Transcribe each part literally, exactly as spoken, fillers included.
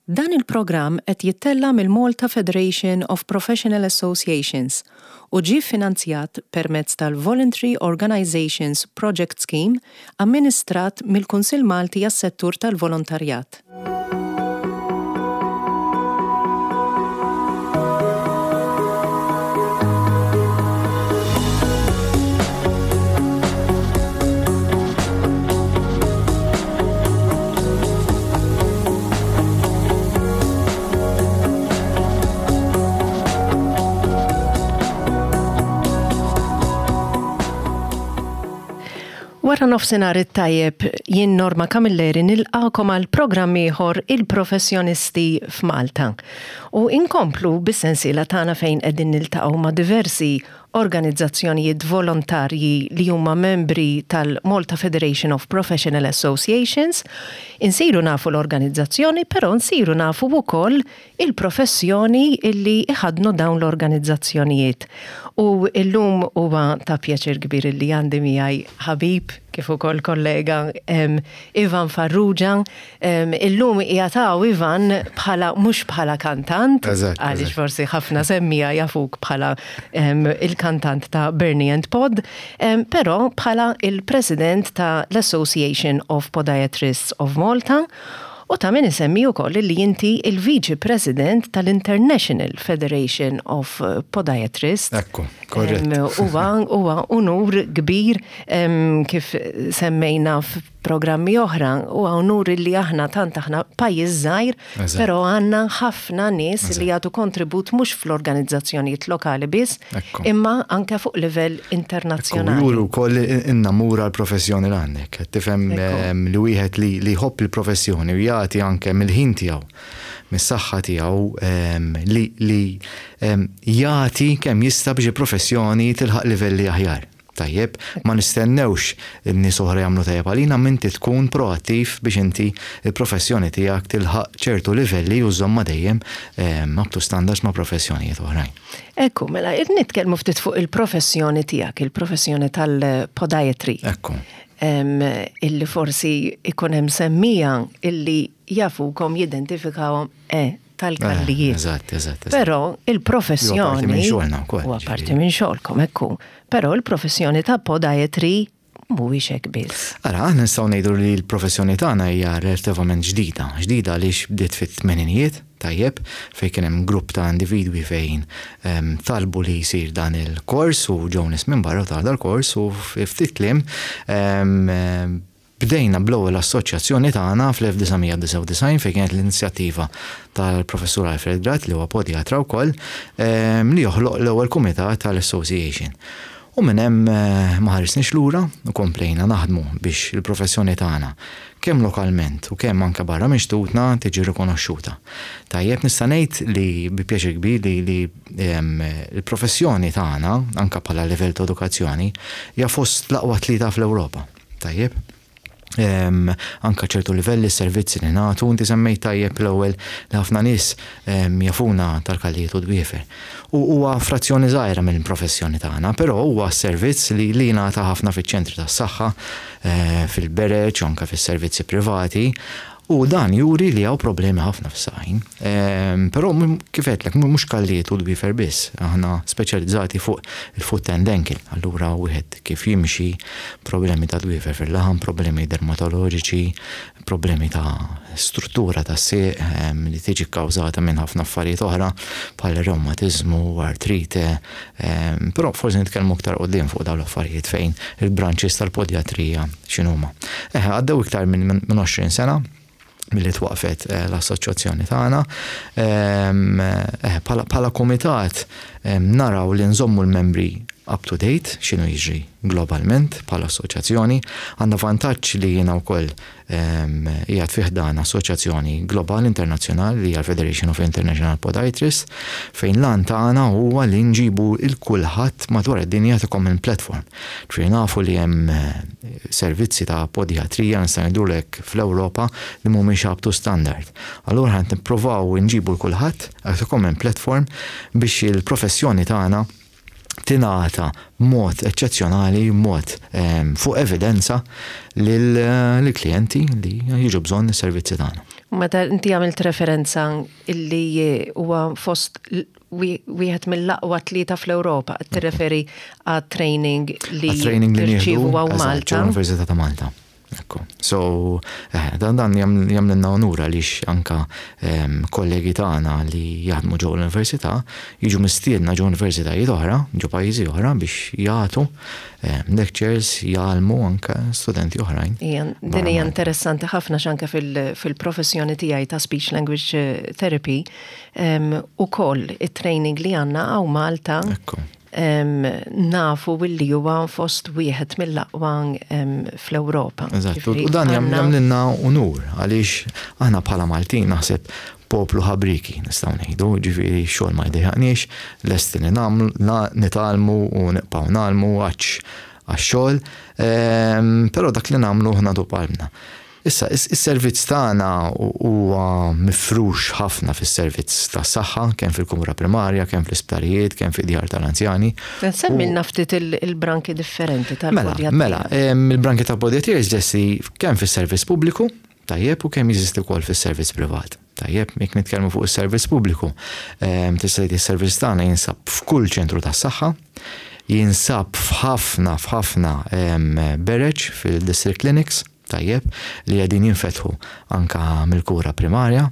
Dan il-programm qed jittella' mill-Malta Federation of Professional Associations u ġie finanzjat permezz tal-Voluntary Organizations Project Scheme amministrat mill-Kunsill Malti għas-Settur tal-Volontarjat. Wara nofsinhar it-tajjeb, jien Norma Camilleri nilqakom għal programm ieħor il-professjonisti f'Malta. U inkomplu bis-sensiela tagħna fejn qegħdin niltaqgħu ma' diversi organizzazzjonijiet volontarji li huma membri tal-Malta Federation of Professional Associations. Insiru nafu l-organizzazzjoni, però nsiru nafu wkoll il-professjoni illi iħadnu dawn l-organizzazzjonijiet. U illum huwa ta' pjaċir kbir illi għandi miegħi ħabib kif ukoll kollega um, Ivan Farrugia. Um, illum jataw Ivan bħala mhux bħala kantant, għaliex forsi ħafna semmija jafuk bħala um, il-kantant ta' Bernie and Pod, um, però bħala il-president ta' l-Association of Podiatrists of Malta. U ta' min isemmi wkoll li inti il-Viċi President tal-International Federation of Podiatrists. Ekku, korrett. Huwa huwa unur kbir kif semmejna f'programmi oħra, huwa unur li aħna tant aħna pajjiż żgħir, però għandna ħafna nies li jagħtu kontribut mhux fl-organizzazzjonijiet lokali biss, imma anke fuq livell internazzjonali. Juru wkoll innamura l-professjoni l għandek. Tifhem li wieħed li jħobb il-professjoni u jagħti anke mill-ħin tiegħu, mis-saħħa tiegħu li li jagħti kemm jista' biex il-professjoni tilħaq livelli aħjar. Tajjeb, ma nistennewx in-nies oħra jagħmlu tajjeb għalina, inti tkun proattiv biex inti il-professjoni tiegħek tilħaq ċertu livelli u żomma dejjem up to standards ma' professjonijiet oħrajn. Ekku, mela nitkellmu ftit fuq il-professjoni tiegħek, il-professjoni tal-podiatry. Ekku. Illi forsi ikun hemm semmija illi jafukom jidentifikawhom eh, tal-kallijiet. Eżatt, eżatt. Però il-professjoni. Huwa parti minn xogħolna wkoll. Huwa parti minn xogħolkom, ekku. Però il-professjoni ta' podiatry mhuwiex hekk biss. Ara, aħna nistgħu ngħidu li l-professjoni tagħna hija relattivament ġdida. Ġdida għaliex bdiet fit-tmeninijiet, tajjeb, fejn kien hemm grupp ta' individwi fejn talbu li jsir dan il-kors u ġew nies minn barra ta' dal-kors u ftit kliem bdejna bl-ewwel assoċjazzjoni tagħna fl-elf disa' mija disgħa u disgħin fejn kienet l-inizjattiva tal-professur Alfred Gatt li huwa podiatra wkoll li joħloq l-ewwel kumitat tal-association. U minn hemm ma ħarisniex lura u komplejna naħdmu biex il-professjoni tagħna kemm lokalment u kemm anke barra minn xtutna tiġi rikonoxxuta. Tajjeb, nista' ngħid li bi pjaċir kbir li, li l-professjoni tagħna anke bħala livell ta' edukazzjoni hija fost l-aqwa tlieta fl-Ewropa. Tajjeb. Anka ċertu livelli servizzi li nagħtu, inti semmejt tajjeb l-ewwel li ħafna nies jafuna tal-kallijiet u dwiefer. U huwa frazzjoni żgħira mill-professjoni tagħna, però huwa servizz li li jingħata ħafna fiċ-ċentri tas-saħħa, fil-bereġ, anke fis-servizzi privati, u dan juri li hawn problemi ħafna fis-saqajn. Però kif għedtlek, mhux kallijiet u dwiefer biss, aħna speċjalizzati fuq il-foot and ankle, allura wieħed kif jimxi, problemi ta' dwiefer fil-laħam, problemi dermatoloġiċi, problemi ta' struttura ta' sieq li tiġi kkawżata minn ħafna affarijiet oħra bħal reumatizmu, artrite, però forsi nitkellmu aktar quddiem fuq dawn l-affarijiet fejn il-branches tal-podiatrija x'inhuma. Eħe, għaddew iktar minn għoxrin sena milli twaqfet l-assoċjazzjoni tagħna. Bħala kumitat naraw li nżommu l-membri up to date x'inhu jiġri globalment bħala assoċjazzjoni. Għandna vantaġġ li jiena wkoll qiegħed fih dan assoċjazzjoni globali internazzjonali li hija l-Federation of International Podiatrists, fejn l-għan tagħna huwa li nġibu il kulħadd madwar id-dinja ta' common platform. Ġifieri nafu li hemm servizzi ta' podiatrija nista' ngħidulek fl-Ewropa li mhumiex up to standard. Allura ħa nippruvaw nġibu l kulħadd ta' common platform biex il-professjoni tagħna tingħata b'mod eċċezzjonali, b'mod fuq evidenza lill-klijenti li jiġu bżonn is-servizzi tagħna. Meta inti għamilt referenza illi huwa fost wieħed mill-aqwa tlieta fl-Ewropa, tirreferi għat training li training li tirċievu hawn Malta. Università ta' Malta. Ekku. So, eh, dan dan jagħmlilna onur għaliex anka kollegi tagħna li jaħdmu ġew l-università jiġu mistiedna ġew universitajiet oħra, ġew pajjiżi oħra biex jagħtu lectures, jgħallmu anka studenti oħrajn. Din hija interessanti ħafna x'anke fil-professjoni tiegħi ta' speech language eh, therapy ukoll it-training li għandna hawn Malta nafu billi huwa fost wieħed mill-aqwa fl-Ewropa. Eżatt, u dan jagħmlilna unur għaliex aħna bħala Maltin naħseb poplu ħabriki nistgħu ngħidu, ġifieri xogħol ma jdejjaqniex, lesti li nagħmlu nitgħallmu u nibqgħu ngħallmu għax-xogħol, però dak li nagħmlu nagħtu b'qalbna. Issa, is-servizz tagħna huwa mifrux ħafna fis-servizz tas-saħħa, kemm fil-kura primarja, kemm fl-isptarijiet, kemm fid-djar tal-anzjani. Semmilna ftit il-branki differenti tal-podjatria. Mela, il-branki tal-podjatrija jeżisti kemm fis-servizz pubbliku, tajjeb, u kemm jeżisti wkoll fis-servizz privat. Tajjeb, jekk nitkellmu fuq is-servizz pubbliku, tista' tgħid is-servizz tagħna jinsab f'kull ċentru tas-saħħa, jinsab f'ħafna f'ħafna bereġ fil-district clinics, tajjeb, li qegħdin jinfetħu anka mill-kura primarja.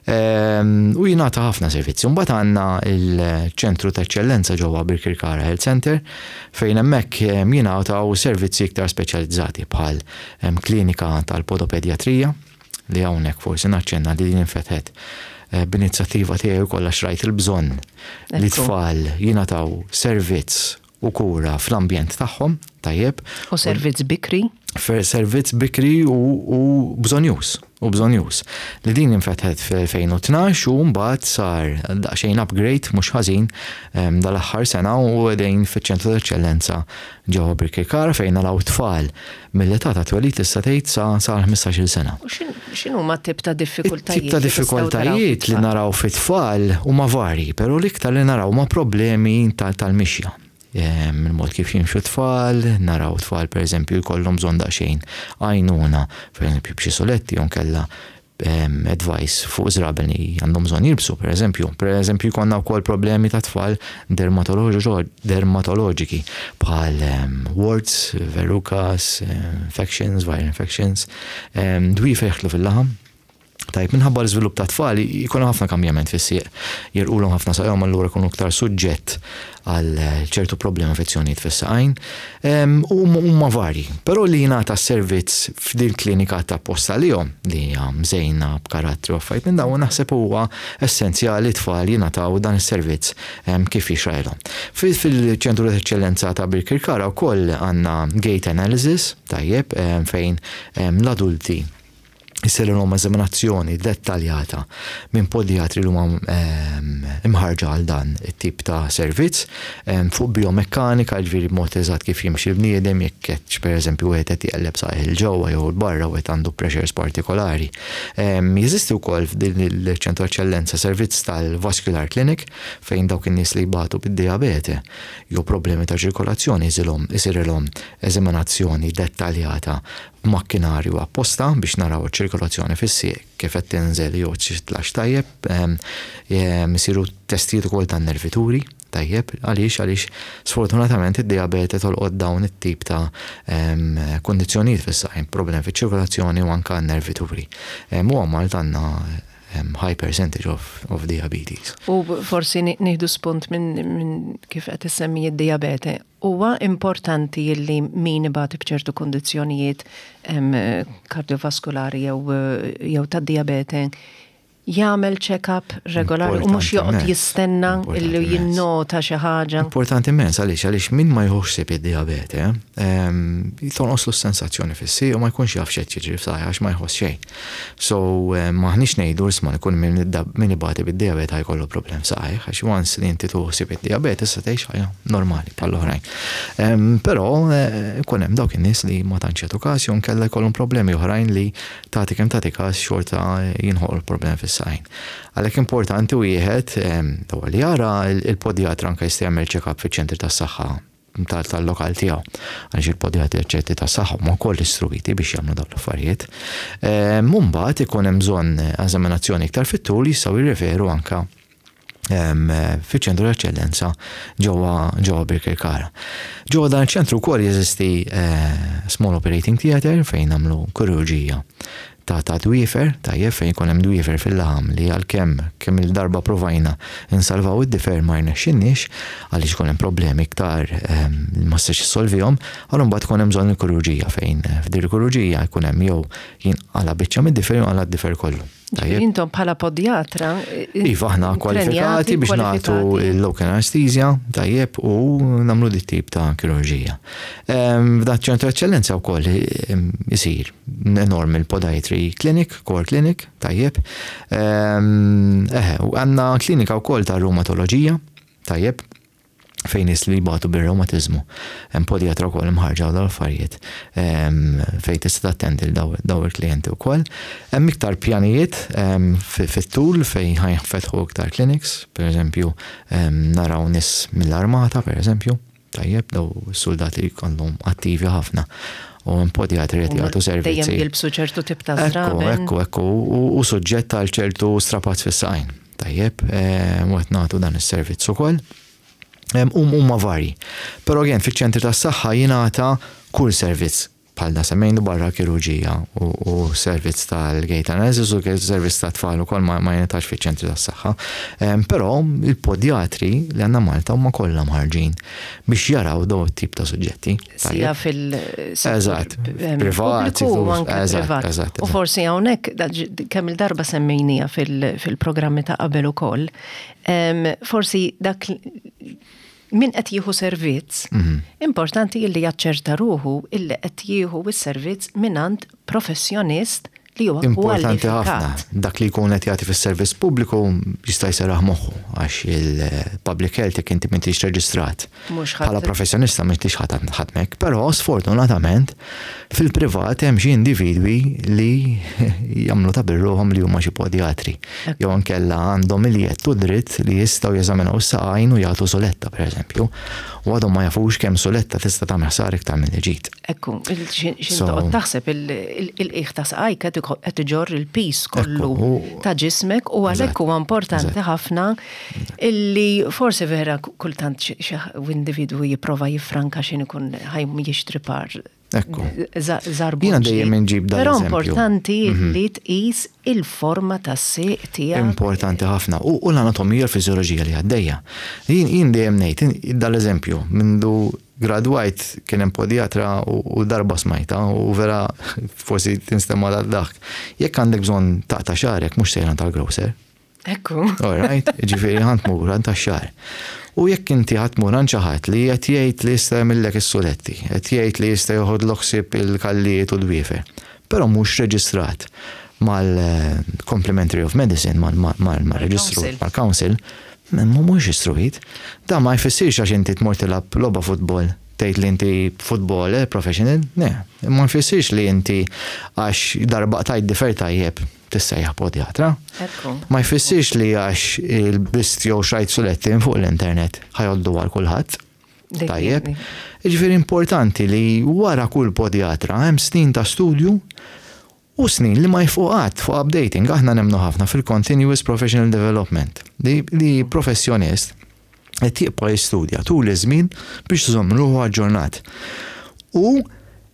U jingħata ħafna servizzi. Mbagħad għandna il-ċentru ta' eċċellenza ġewwa Birkirkara Health Center fejn hemmhekk jingħataw servizzi iktar speċjalizzati bħal klinika tal-podopedjatrija li hawnhekk forsi naċċenna li din infetħet eh, b'inizjattiva tiegħi wkoll għax rajt il-bżonn li tfal jingħataw servizz u kura fl-ambjent tagħhom, tajjeb. U servizz bikri? Servizz bikri u, u bżonjuż, u bżonjuż. Li din infetħet fil-elfejn u tnax u mbagħad sar daqsxejn upgrade mhux ħażin dal-aħħar sena u qegħdin fiċ-ċentru tal-eċċellenza ġewwa Birkirkara fejn naraw tfal mill-età ta' twelid tista' tgħid sa sa ħmistax-il sena. U x'inhu ma tip ta' diffikultajiet? Tip ta' diffikultajiet li naraw fit-tfal huma varji, però l-iktar li naraw ma' problemi tal-mixja. Il-mod kif jimxu tfal, naraw tfal per eżempju jkollhom bżonn daqsxejn għajnuna, per eżempju b'xi soletti jew kella advice fuq żraben li għandhom bżonn jilbsu, per eżempju. Per eżempju jkollna wkoll problemi ta' tfal dermatoloġiki bħal warts, verrucas, infections, viral infections, dwiefer jeħlu fil-laħam. Tajb, minħabba l-iżvilupp ta' tfal jkunu ħafna kambjament fis-sieq. Jirqulhom ħafna saqajhom, allura jkunu aktar suġġett għal ċertu problemi, infezzjonijiet fis-saqajn. U huma varji. Però li jingħata servizz f'din klinika ta' posta lihom li hija mżejna b'karattri u affarijiet minn dawn naħseb huwa essenzjali tfal jingħataw dan is-servizz kif jixraqilhom. Fil-ċentru ta' eċċellenza ta' Birkirkara wkoll għandna gait analysis, tajjeb, fejn l-adulti jsirilhom eżaminazzjoni dettaljata minn podjatri li huma imħarġa għal dan it-tip ta' servizz fuq biomekkanika, ġifieri b'mod eżatt kif jimxi l-bniedem, jekk qed per eżempju wieħed qed jqelleb saqajh 'il ġewwa jew 'il barra u qed għandu pressures partikolari. Jeżisti wkoll f'din il-ċentru eċċellenza servizz tal-Vascular Clinic fejn dawk in-nies li jbatu bid-diabete jew problemi ta' ċirkolazzjoni isirilhom eżaminazzjoni dettaljata b'makkinarju apposta biex naraw iċ-ċirkolazzjoni fis-sieq kif qed tinżel jew titlax tajjeb, isiru testijiet ukoll tan-nervituri, tajjeb, għaliex għaliex sfortunatament id-diabete tolqot dawn it-tip ta' kondizzjonijiet fis-saqajn, problemi fiċ-ċirkolazzjoni u anke n-nervituri. U Malta għandna high percentage of, of diabetes. U forsi nieħdu spunt minn min kif qed issemmi id-diabete. Huwa importanti li min ibati b'ċertu kondizzjonijiet kardiovaskulari jew jew tad-diabete jagħmel check-up regolari u mhux joqgħod jistenna illi jinnota xi ħaġa. Importanti immens għaliex għaliex min ma jieħux ħsieb id-diabete, tonqoslu s-sensazzjoni fis-sieq u ma jkunx jaf x'qed jiġri f'saqajh għax ma jħoss xejn. So m'aħniex ngħidu isma' jkun min ibati bid-diabete jkollu problem saqajh għax once li inti tieħu ħsieb id-diabete issa tgħix ħajja normali bħall-oħrajn. Però ikun hemm dawk in-nies li ma tantx jagħtu każ jew inkella jkollhom problemi oħrajn li tagħti kemm tagħti każ xorta jinħolqu problemi fis-saqajn. Għalhekk importanti wieħed li jara il-podjatra, anke jista' jagħmel check-up fiċ-ċentri tas-saħħa. tal-lokal tiegħu. Għaliex il-podjatri ċerti ta' saħħa huma wkoll istruiti biex jagħmlu dawn l-affarijiet. Mbagħad ikun hemm bżonn eżaminazzjoni iktar fit-tul, jistgħu jirreferu anka fiċ-ċentru eċċellenza ġewwa ġewwa Birkirkara. Ġewwa dan iċ-ċentru wkoll jeżisti eh, small operating theater fejn nagħmlu kirurġija ta' ta' dwiefer, tajjeb, fejn jkun hemm dwiefer fil-laħam li għalkemm kemm il-darba provajna insalvaw id-difer ma rnexxinniex għaliex ikun hemm problemi iktar li ma setax issolvihom, allura mbagħad ikun hemm bżonn il-kirurġija fejn f'dir il-kirurġija jkun hemm jew jinqala biċċa mid-difer jew jinqala d-difer kollu. Tajjeb. Intom bħala podjatra. Iva, aħna kwalifikati biex nagħtu il-local anesthesia, tajjeb, u nagħmlu dit tip ta' kirurġija. F'dan ċentru eċċellenza wkoll isir enorm il-podiatry clinic, core clinic, tajjeb. Eħe, u għandna klinika wkoll ta' reumatoloġija, tajjeb, fejn nies li jbatu bir-reumatizmu. Hemm podjatra wkoll imħarġa u dal-affarijiet fejn tista' tattendi l daw il-klijenti wkoll. Hemm iktar pjanijiet fit-tul fejn ħa jinfetħu iktar clinics, per eżempju naraw nies mill-armata, per eżempju, tajjeb, daw soldati li jkollhom attivi ħafna u hemm podjatri qed jagħtu servizzi. Dejjem jilbsu ċertu tip ta' Ekku, ekku, ekku, u suġġett għal ċertu strapazz fis-saqajn. Tajjeb, u qed nagħtu dan is-servizz ukoll. Huma vari. Però again, fiċ-ċentri tas-saħħa jingħata kull servizz bħal da semmejnu barra kirurġija u servizz tal-gait analysis u servizz ta' tfal ukoll ma jingħatax fiċ-ċentri tas-saħħa. Però il-podjatri li għandna Malta huma kollha mħarġin biex jaraw daw it-tip ta' suġġetti. Sija fil Eżatt, privat, eżatt. U forsi hawnhekk kemm il-darba semmejnija fil-programmi ta' qabel ukoll, forsi dak min qed jieħu servizz, mhm. importanti illi jaċċerta ruħu illi qed jieħu s-servizz mingħand professjonist li huwa Importanti ħafna. Dak li jkun qed jagħti fis-servizz pubbliku jista' jserraħ moħħu għax il-public health jekk inti m'intix reġistrat. Bħala professjonista m'intix ħadmek, però sfortunatament fil-privat hemm xi individwi li jagħmlu ta' birruhom li huma xi podjatri. Jew inkella għandhom il-jedd u dritt li jistgħu jeżaminaw is-saqajn u jagħtu suletta, pereżempju. U għadhom ma jafux kemm suletta tista' tagħmel ħsar iktar mill-ġid. Ekku, x'ħin taħseb il-qiegħ ta' saqajk qed iġorr il-piż kollu ta' ġismek u għalhekk huwa importanti ħafna illi forsi vera kultant xi individwu jipprova jiffranka x'ħin ikun ħa jixtri par Ekku. Żarbun. Jiena dejjem inġib dan Però importanti mhm. li tqis il-forma tas-sieq tiegħek. Importanti ħafna. U l-anatomija, l-fiżjoloġija li għaddejja. Jien dejjem ngħid dal-eżempju, mindu gradwajt kien hemm podjatra u darba smajta u vera forsi tinstema' dak. Jekk għandek bżonn taqta' xagħrek, mhux sejra tal-grocer. Ekku. All right, ġifieri ħa tmur għand tax-xagħar. U jekk inti ħa tmur għand xi ħadd li qed jgħid li jista' jagħmillek is-suletti, qed jgħid li jista' joħodlok ħsieb il-kallijiet u d-dwiefer, però mhux reġistrat mal-Complementary of Medicine, mal-reġistru, mal-Council, mhux istruit. Da ma jfissirx għax inti tmur tilgħab logħba futbol tgħid li inti footballer professional, ne, ma jfissirx li inti għax darba tajt difer tajjeb tissejjaħ podjatra. Ma jfissirx li għax il-bist jew xtrajt suletti fuq l-internet ħa jgħoddu għal kulħadd. Tajjeb. Ġifieri importanti li wara kull podjatra hemm snin ta' studju u snin li ma jieqfu fuq updating. Aħna nemmnu ħafna fil-continuous professional development. Li, li professjonist qed jibqa' jistudja tul iż-żmien biex iżomm ruħu aġġornat. U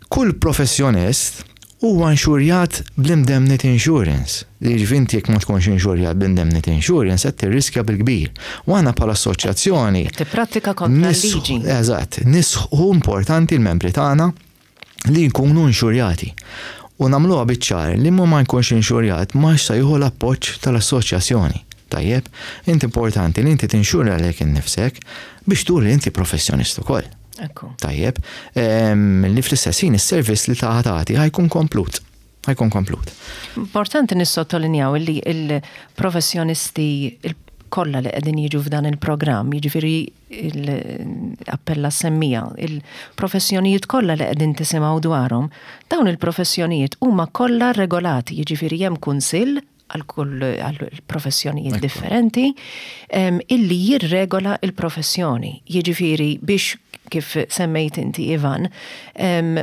kull professjonist huwa inxurjat bl-indemnity insurance. Li ġifieri inti jekk ma tkunx inxurjat bl-indemnity insurance qed tirriskja bil-kbir. U aħna bħala assoċjazzjoni. Tipprattika kontra l-liġi. Eżatt, nisħu importanti l-membri tagħna li jkunu inxurjati. U nagħmluha biċ-ċar li ma jkunx inxurjat ma se jieħu l-appoġġ tal-assoċjazzjoni. Tajjeb, inti importanti li inti tinxurja lilek innifsek biex turi li inti professjonist ukoll. Tajjeb, li fl-istess ħin is-servizz li tagħti ħa jkun komplut. Ħa jkun komplut. Importanti nissottolinjaw li il-professjonisti kollha li qegħdin jiġu f'dan il-programm, jiġifieri l-appella semmija, il-professjonijiet kollha li qegħdin tisimgħu dwarhom, dawn il-professjonijiet huma kollha regolati, jiġifieri hemm kunsill għal kull għal professjonijiet differenti illi jirregola il-professjoni. Jiġifieri biex kif semmejt inti, Ivan, em,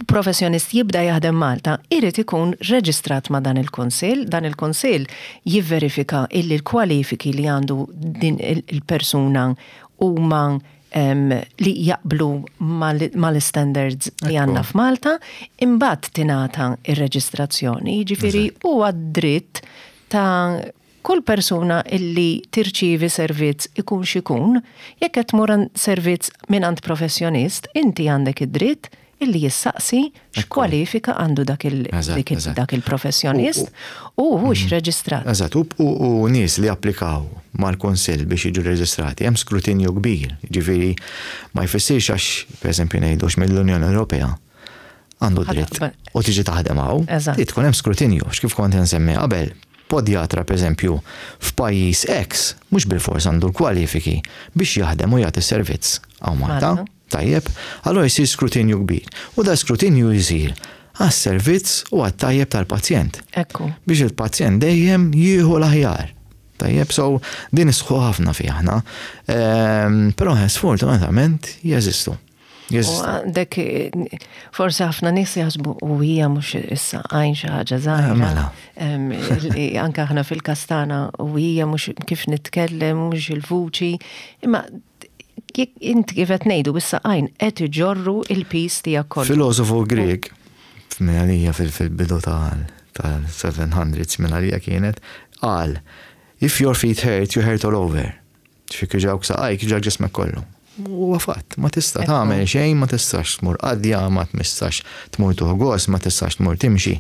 professjonist jibda jaħdem Malta, irid ikun reġistrat ma' dan il-kunsill, dan il-kunsill jivverifika illi l-kwalifiki li għandu din il-persuna huma em, li jaqblu mal-standards li għandna f'Malta, imbagħad tingħata ir-reġistrazzjoni, jiġifieri huwa dritt ta' kull persuna illi tirċivi servizz, ikun xikun, jekk qed tmur servizz minn professjonist, inti għandek id-dritt illi jissaqsi x'kwalifika għandu dak dak il-professjonist u hux mm. reġistrat. Eżatt, u nies li applikaw mal-kunsill biex jiġu reġistrati, hemm skrutinju kbir, ġifieri ma jfissirx għax, pereżempju, ngħidu mill-Unjoni Ewropea għandu dritt u tiġi taħdem hawn, tkun hemm skrutinju, x'kif kont nsemmi qabel, podjatra, pereżempju, f'pajjiż X mhux bilfors għandu l-kwalifiki biex jaħdem u jagħti servizz hawn Malta. Tajjeb, allora jsir skrutinju kbir. U da skrutinju jsir għas-servizz u għat-tajjeb tal-pazjent. Ekku. Biex il-pazjent dejjem jieħu l-aħjar. Tajjeb, so din nisħqu ħafna fi aħna. Ehm, però sfortunatament jeżistu. Għandek, forsi ħafna nies jaħsbu u hija mhux issa għajn xi ħaġa żgħira. Eh, mela. Anke aħna fil-kastana u hija mhux kif nitkellem, mhux il-vuċi. Imma inti kif qed ngħidu, bis-saqajn qed iġorru il-piż tiegħek kollu. Filosofu Grek, minn għalija fil-bidu tal-seven hundreds minn għalija kienet, qal, "If your feet hurt, you hurt all over." Jekk juġgħuk saqajk, juġgħak ġismek kollu. U fatt, ma tista' tagħmel xejn, ma tistax tmur qadja, ma tistax tmur tuħgos, ma tistax tmur timxi.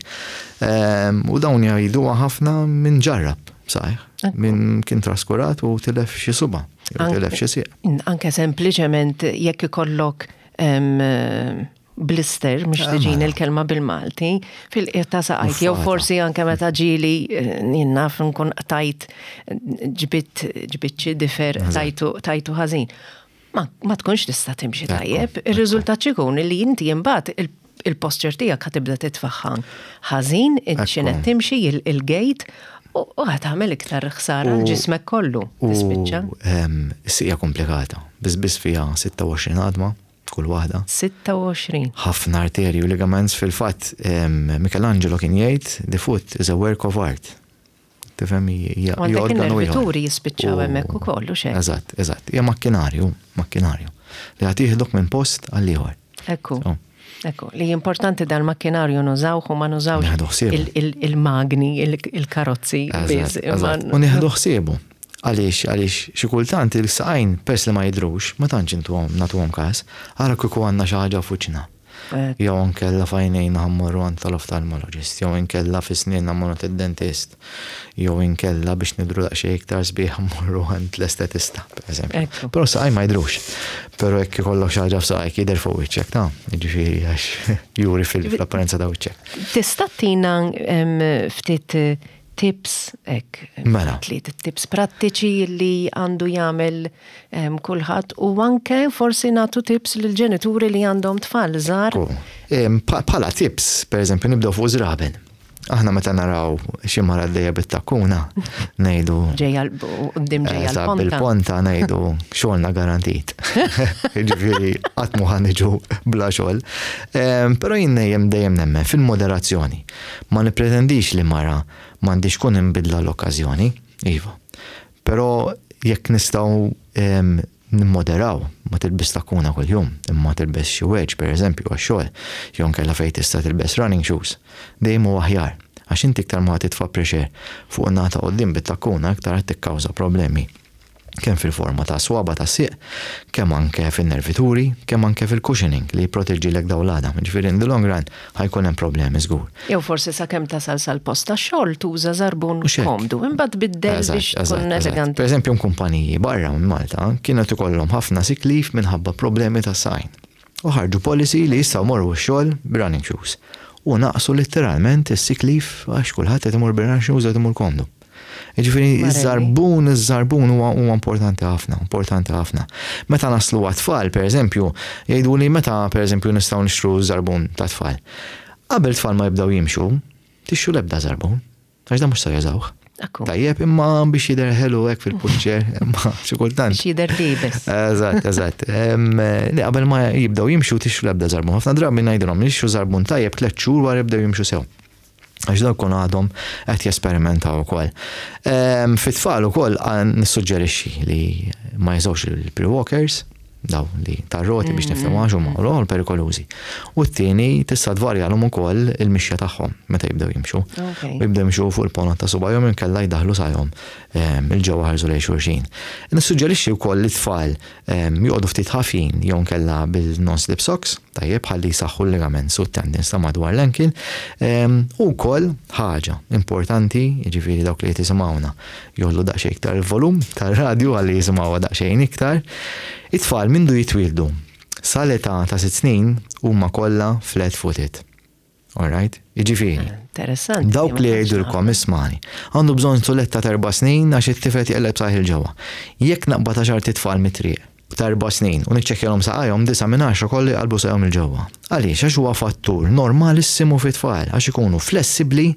Ehm, u dawn jgħiduha ħafna minn ġarrab, saħħ, minn kien traskurat u tilef xi suba, jew tilef xi sieq. Anke sempliċement jekk ikollok blister, mhux ah, tiġini mela. l-kelma bil-Malti, fil-qiegħ ta' saqajk, jew forsi anke meta ġieli eh, naf nkun tajt ġbit ġbit xi difer tajtu tajtu ħażin. Ma, ma tkunx tista' timxi tajjeb, ir-riżultat x'ikun li inti imbagħad il-posture tiegħek ħa tibda titfaħħan ħażin, x'inhu timxi il-gait u ħa tagħmel iktar ħsara l-ġismek kollu. Tispiċċa. Is-sieq hija komplikata. Biss biss fiha sitta u għoxrin għadma kull waħda. sitta u għoxrin. Ħafna arterji u ligaments. Fil-fatt Michelangelo kien jgħid, "The foot is a work of art." Tifhem, hija Għandek il-nervituri jispiċċaw hemmhekk ukoll u xejn. Eżatt, eżatt. Hija makkinarju, makkinarju li qed jieħdok minn post għal ieħor. Ekku. Ekku, li importanti dal-makkinarju nużawh u ma nużawx il-magni, il-karozzi. U nieħdu ħsiebu. Għaliex, għaliex xi kultant il-saqajn, pers li ma jidrux, ma tantx intuhom nagħtuhom każ, ara kieku għandna xi ħaġa f'wiċċna. Jew inkella f'għajnejna ħa mmorru għand tal-oftalmologist, jew inkella fi snienna mmorru id-dentist, jew inkella biex nidru daqsxejn iktar sbieħ mmorru għand l-estetista, per eżempju. Però saqaj ma jidrux. Però jekk ikollok xi ħaġa f'saqajk jidher fuq wiċċek, ta' jiġifieri għax juri fil-apparenza ta' wiċċek. Tista' tina ftit tips ek, mela. Tliet tips prattiċi li għandu jagħmel kulħadd u anke forsi nagħtu tips lil ġenituri li għandhom tfal żgħar? Bħala tips, per eżempju, nibdew fuq żraben. Aħna meta naraw xi mara għaddejja bit-takkuna, ngħidu Ġejja quddiem, ġejja l-ponta. Bil-ponta ngħidu xogħolna garantit. Ġifieri qatt mu ħa niġu bla xogħol. Però jien dejjem dejjem nemmen fil-moderazzjoni. Ma nippretendix li mara m'għandix kun imbidla l-okkażjoni, iva. Però jekk nistgħu nimmoderaw, ma tilbis takkuna kuljum, imma tilbes xi wedge, per eżempju, għax-xogħol, jew inkella fejn tista' tilbes running shoes, dejjem huwa aħjar. Għax inti iktar ma titfa' pressure fuq in-naħa quddiem bit-takkuna, iktar qed tikkawża problemi kemm fil-forma ta' swaba ta' sieq, kemm anke fil-nervituri, kemm anke fil-cushioning li jipproteġi lek dawn l-għadam. Ġifieri in the long run ħa jkun hemm problemi żgur. Jew forsi sakemm tasal sal-post ta' xogħol tuża żarbun komdu, imbagħad biddel biex tkun eleganti. Per eżempju, kumpaniji barra minn Malta kienet ikollhom ħafna sick leave minħabba problemi ta' saqajn. U ħarġu policy li jistgħu morru x-xogħol b'running shoes. U naqsu letteralment is-sick leave għax kulħadd qed imur b'running shoes, qed imur komdu. Ġifieri, iż-żarbun, iż-żarbun huwa huwa importanti ħafna, importanti ħafna. Meta naslu għat-tfal, per eżempju, jgħidu li meta, per eżempju, nistgħu nixtru żarbun ta' tfal. Qabel tfal ma jibdew jimxu, tixtru l-ebda żarbun, għax da mhux se jużawh. Ekku. Tajjeb, imma biex jidher ħelu hekk fil-pushchair, imma xi kultant. Biex jidher liebes. Eżatt, eżatt. Li qabel ma jibdew jimxu tixtru l-ebda żarbun. Ħafna drabi ngħidilhom li jixtru żarbun tajjeb tliet xhur wara jibdew jimxu sew. Għax dawk kun għadhom qed jesperimentaw ukoll. Fit-tfal ukoll nissuġġerixxi li ma jużawx il-pre-walkers, daw li tar-roti biex niftehmu għax huma l perikolużi. U t-tieni, tista' tvarjalhom ukoll il-mixja tagħhom meta jibdew jimxu. Okay. U jibdew jimxu fuq il-ponot ta' subajhom, inkella jdaħlu saqajhom 'il ġewwa, ħarsu lejn xulxin. Nissuġġerixxi wkoll li tfal joqogħdu ftit ħafin jew nkella bil-non-slip socks, tajjeb, ħalli jsaħħu l-ligaments u t-tendons ta' madwar l-ankle. U wkoll ħaġa importanti, jiġifieri dawk li jisimgħuna jgħollu daqsxejn iktar il-volum tar-radju ħalli jisimgħuha daqsxejn iktar. It-tfal mindu jitwildu sal-età ta' sitt snin huma kollha flat footed. Alright? Jiġifieri. Interessanti. Dawk li jgħidulkom, "Ismagħni, għandu bżonn suletta ta' erba' snin għax it-tifel jqelleb saqajh 'il ġewwa." Jekk naqbad għaxart itfal mit-triq ta' erba' snin u niċċekkjalhom saqajhom, disa' minn għaxra kollu jqalbu saqajhom 'il ġewwa. Għaliex? Għax huwa fattur normalissimu fit-tfal, għax ikunu flessibbli,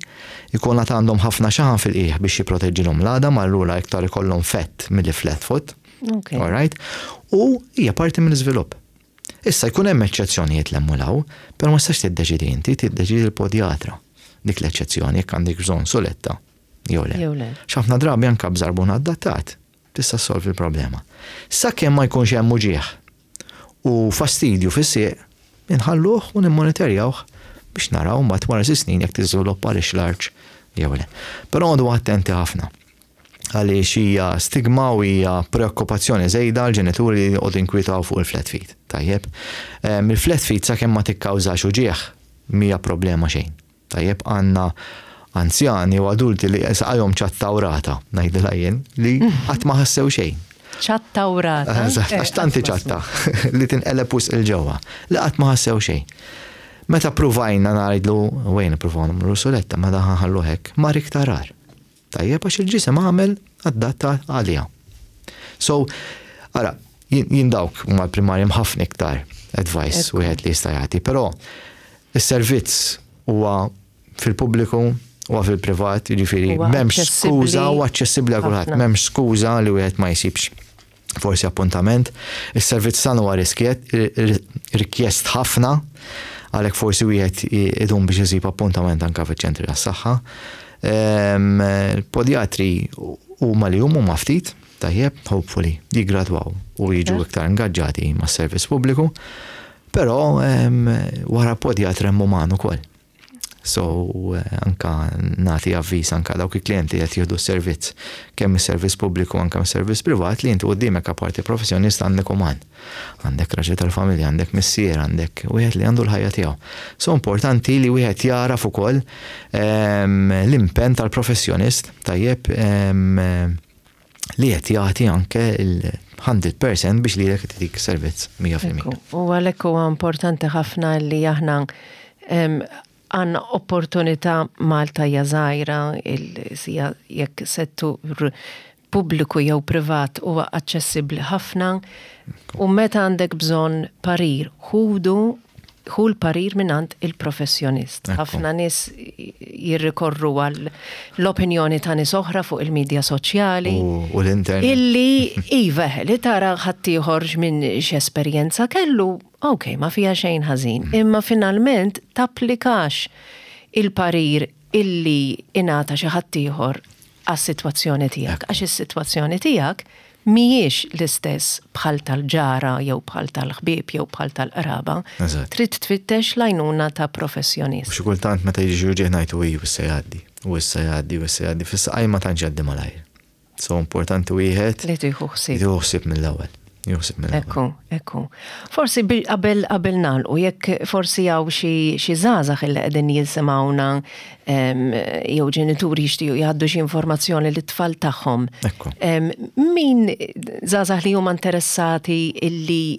ikun għad għandhom ħafna xaħam fil-qiegħ biex jipproteġġilhom l-għadam, allura iktar ikollhom fat milli flat foot. Okay. All right? U hija parti mill-iżvilupp. Issa jkun hemm eċċezzjonijiet l law, però ma tistax tiddeċidi inti, tiddeċidi l-podjatra. Dik l-eċċezzjoni jekk għandek bżonn suletta jew le. Jew le. Ħafna drabi anke b'żarbun adattat tista' ssolvi l-problema. Sakemm ma jkunx hemm uġieħ u fastidju fis-sieq, inħalluh u nimmonitorjawh biex naraw mbagħad wara sitt snin jekk tiżviluppa l-arch jew le. Però għodu attenti ħafna għaliex hija stigma u hija preokkupazzjoni żejda l-ġenituri li joqogħdu inkwitaw fuq il-flat feet. Tajjeb. Il-flat feet, sakemm ma tikkawżax uġieħ, mhija problema xejn. Tajjeb, għandna anzjani u adulti li saqajhom ċattawrata, ngħidilha jien, li qatt ma ħassew xejn. Ċattawrata. Eżatt, għax tanti ċatta li tinqeleb wisq 'il ġewwa, li qatt ma ħassew xejn. Meta pruvajna ngħidlu, wejn pruvajna nagħmlu suletta, ma daħan ħallu hekk, mar iktar agħar. Tajjeb, għax il-ġisem għamel adatta għalija. So, ara, jien dawk huma l-primarji, ħafna iktar advice wieħed li jista' jagħti, però is-servizz huwa fil-pubbliku, huwa fil-privat, jiġifieri Huwa m'hemmx aċċessibbli skuża u aċċessibbli għal kulħadd, ħafna. M'hemmx skuża li wieħed ma jsibx forsi appuntament. Is-servizz tagħna huwa riskjet, rikjest ħafna, għalhekk forsi wieħed idum biex isib appuntament anke fiċ-ċentri tas-saħħa. Ehm, Il-podjatri huma li huma huma ftit, tajjeb, hopefully jiggradwaw u jiġu iktar ingaġġati mas-servizz pubbliku, però ehm, wara podjatra hemm uman ukoll. So, eh, anka nagħti avviż anka dawk il-klienti qed jieħdu s-servizz, kemm is-servizz pubbliku anka mis-servizz privat, li inti quddiemek apparti professjonist għandek uman. Għandek raġel tal-familja, għandek missier, għandek wieħed li għandu l-ħajja tiegħu. So importanti li wieħed jaraf ukoll ehm, l-impenn tal-professjonist, tajjeb, ehm, li qed jagħti anke il-mija fil-mija biex lilek ttik servizz mija fil-mija. Ekku, u għalhekk huwa importanti ħafna li aħna em, għandna opportunità. Malta hija żgħira, il- sija jekk settur pubbliku jew privat huwa aċċessibbli ħafna u meta għandek bżonn parir, ħudu ħu l-parir mingħand il-professjonist. Ekku. Ħafna nies jirrikorru għal l-opinjoni ta' nies oħra fuq il-medja soċjali. U, u l-internet. Illi, iva, li tara ħaddieħor minn x'esperjenza kellu, ok, ma fija xejn ħażin. Imma finalment tapplikax il-parir illi ingħata xi ħaddieħor għas-sitwazzjoni tiegħek. Għax is-sitwazzjoni tiegħek mhijiex l-istess bħal tal-ġara jew bħal tal-ħbieb jew bħal tal-qraba. Eżatt. Trid tfittex l-għajnuna ta' professjonist. U xi kultant meta jiġi uġigħ ngħidu, "Iju, issa jgħaddi, u issa jgħaddi, u issa jgħaddi," fis-saqaj ma tantx jgħaddi malajr. So importanti wieħed li tieħu ħsieb. Jieħu ħsieb mill-ewwel. Jieħu ħsieb mill-ewwel. Ekku, ekku. Forsi bil- qabel qabel nagħlqu, jekk forsi hawn xi xi żgħażagħ illi qegħdin jisimgħuna em, jew ġenituri jixtiequ jgħaddu xi informazzjoni lit-tfal tagħhom. Ekku. Em, Min żgħażagħ li huma interessati illi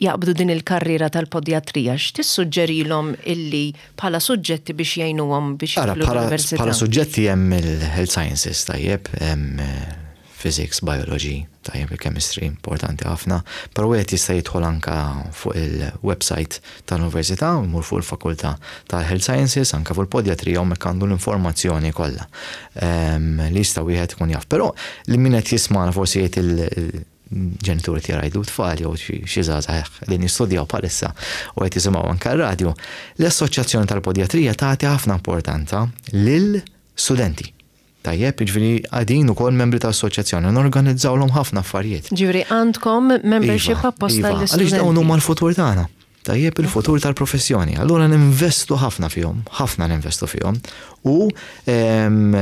jaqbdu din il-karriera tal-podjatrija, x'tissuġġerilhom illi bħala suġġetti biex jgħinuhom biex Ara, jidħlu bħala l-università? bħala suġġetti hemm il-health sciences, tajjeb, hemm eh, Physics, Biology, tajjeb, il-Chemistry, importanti ħafna, però wieħed jista' jidħol anka fuq il-website tal-Università, imur fuq il-Fakultà tal-Health Sciences, anka fuq il-Podjatrija, u hemmhekk għandu l-informazzjoni kollha li jista' wieħed ikun jaf. Però li min qed jisma'na forsi jgħid il-ġenituri tiegħu jgħidu tfal jew xi żgħażagħ li nistudjaw bħalissa u qed jisimgħu anke r-radju, l-Assoċjazzjoni tal-Podjatrija tagħti ħafna importanza lil studenti. Tajjeb, jiġifieri qegħdin ukoll membri ta' assoċjazzjoni, norganizzawlhom ħafna affarijiet. Ġifieri għandkom membership Iva, apposta iva, l-istudenti. Għaliex dawn huma l-futur tagħna. Tajjeb, il-futur tal-professjoni. Allura ninvestu ħafna fihom, ħafna ninvestu fihom. U ehm,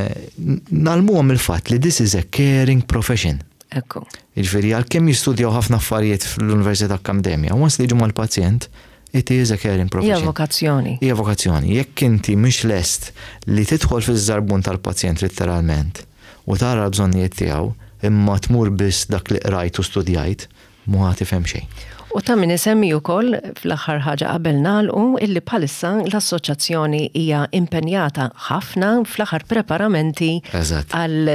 ngħallmuhom il-fatt li this is a caring profession. Ekku. Jiġifieri għalkemm jistudjaw ħafna affarijiet fl-Università Akkademja, once li jiġu mal-pazjent, it is a caring Hija profession. vokazzjoni. Hija vokazzjoni. Jekk inti mhix lest li tidħol fiż-żarbun tal-pazjent literalment u tara l-bżonnijiet tiegħu, imma tmur biss dak li qrajt u studjajt, mhu tifhem xejn. U ta' min isemmi wkoll fl-aħħar ħaġa qabel nagħlqu illi bħalissa l-assoċjazzjoni hija impenjata ħafna fl-aħħar preparamenti Eżatt. għal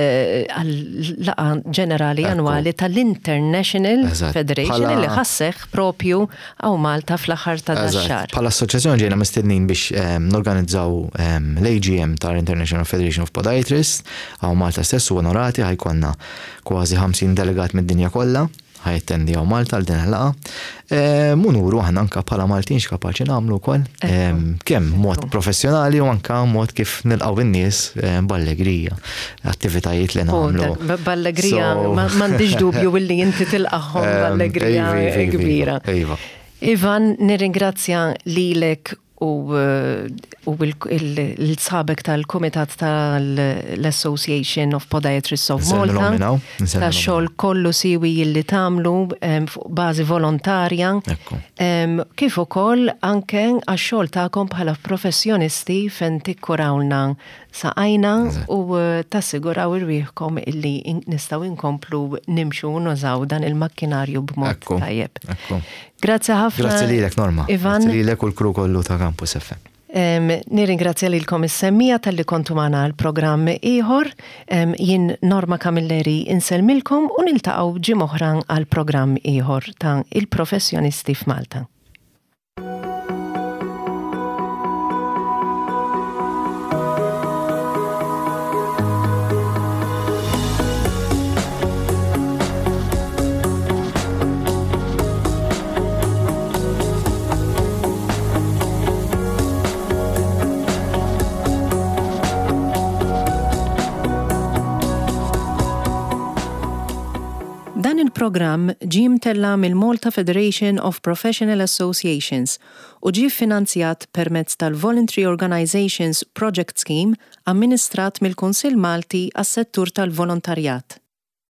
laqgħa ġenerali Ekku. annwali tal-International Eżatt. Federation Bħala- li ħa sseħħ propju hawn Malta fl-aħħar ta' Eżatt. dax-xahar. Bħala assoċjazzjoni ġejna mistednin biex em, norganizzaw em, l-A G M tal-International Federation of Podiatrists hawn Malta stess u onorati ħa jkollna kważi ħamsin delegat mid-dinja kollha ħa jattendu hawn Malta għal din il-laqgħa. U nuru aħna anka bħala Maltin x'kapaċi nagħmlu wkoll. Em, Kemm mod professjonali u anka mod kif nilqgħu in-nies em, b'allegrija, attivitajiet li U nagħmlu. dak, b- B'allegrija, So- ma- m'għandix dubju illi inti tilqagħhom Em, b'allegrija iva, iva, iva, kbira. Iva. Ivan, nirringrazzja lilek u, eh, u il-sħabek tal-Kumitat tal-Association of Podiatrists of Nsellmilhom Malta. minn hawn, nsellmilhom Ta' xogħol kollu siwi illi tagħmlu em, fuq bażi volontarja. Ekku. Em, Kif ukoll anke għax-xogħol tagħkom bħala professjonisti fejn tikkurawlna saqajna Eżatt. u eh, tassiguraw irwieħkom illi in- nistgħu inkomplu nimxu u nużaw dan il-makkinarju b'mod Ekku, tajjeb. ekku. Grazzi ħafna. Grazzi lilek, Norma. Ivan. Grazzi lilek u l-crew kollu ta' Campus F M. Em, Nirringrazzja lilkom is-semmiegħa talli kontu magħna għal programm ieħor. Em, Jien Norma Camilleri insellmilkom u niltaqgħu ġimgħa oħra għal programm ieħor ta' Il-Professjonisti f'Malta. Dan il-programm ġie mtella' mill-Malta Federation of Professional Associations u ġie finanzjat permezz tal-Voluntary Organizations Project Scheme amministrat mill-Kunsill Malti għas-settur tal-volontarjat.